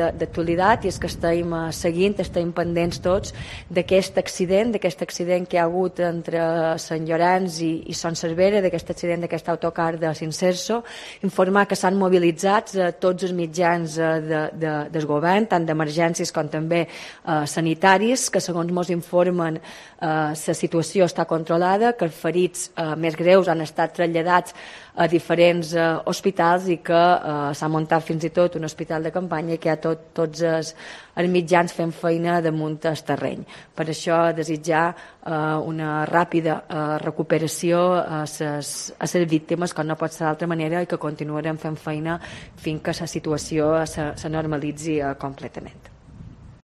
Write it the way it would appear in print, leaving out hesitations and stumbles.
d'actualitat, i és que estem seguint, estem pendents tots d'aquest accident que hi ha hagut entre Sant Llorenç i Son Servera, d'aquest accident d'aquest autocar de Cincerso, informar que s'han mobilitzat tots els mitjans del govern, tant d'emergències com també sanitaris, que segons ens informen la situació està controlada, que els ferits més greus han estat traslladats a diferents hospitals i que s'ha muntat fins i tot un hospital de campanya i que hi ha tots els mitjans fent feina damunt el terreny. Per això desitjar una ràpida recuperació a les víctimes, com no pot ser d'altra manera, i que continuarem fent feina fins que la situació se normalitzi completament.